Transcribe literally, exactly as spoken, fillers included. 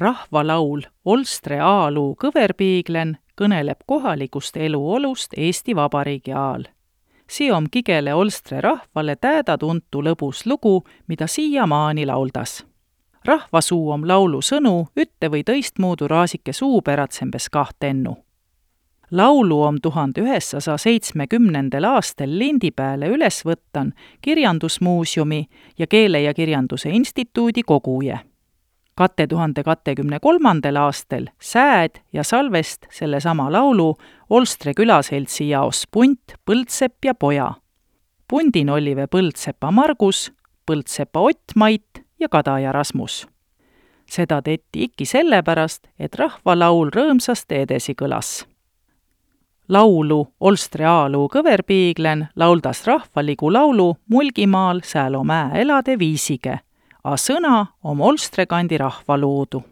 Rahvalaul Olstre aaluu kõverpiiglen kõneleb kohalikust eluolust Eesti Vabariigi aal. See on kigele Olstre rahvale tääda tuntu lõbus lugu, mida siiamaani lauldas. Rahvasuu om laulu sõnu ütte või tõistmuudu raasike suupäratsembes kahtennu. Laulu om tuhande üheksasaja seitsmekümnendal aastal lindi pääle üles võttan Kirjandusmuuseumi ja Keele ja kirjanduse instituudi koguje. kahe tuhande kahekümne-kolmandal aastal sääd ja salvest sellesama laulu Olstre külaseltsi jaos punt Põldsepp ja Poja. Pundin olive Põldsepa Margus, Põldsepa Ott-Mait ja Kadaja Rasmus. Seda tetti ikki sellepärast, et rahvalaul rõõmsasti edesi kõlas. Laulu Olstre aaluu kõverpiiglen lauldas rahvaligu laulu Mulgimaal Säälo mäe elade viisige, a sõna om Olstre kandi rahvaloodu.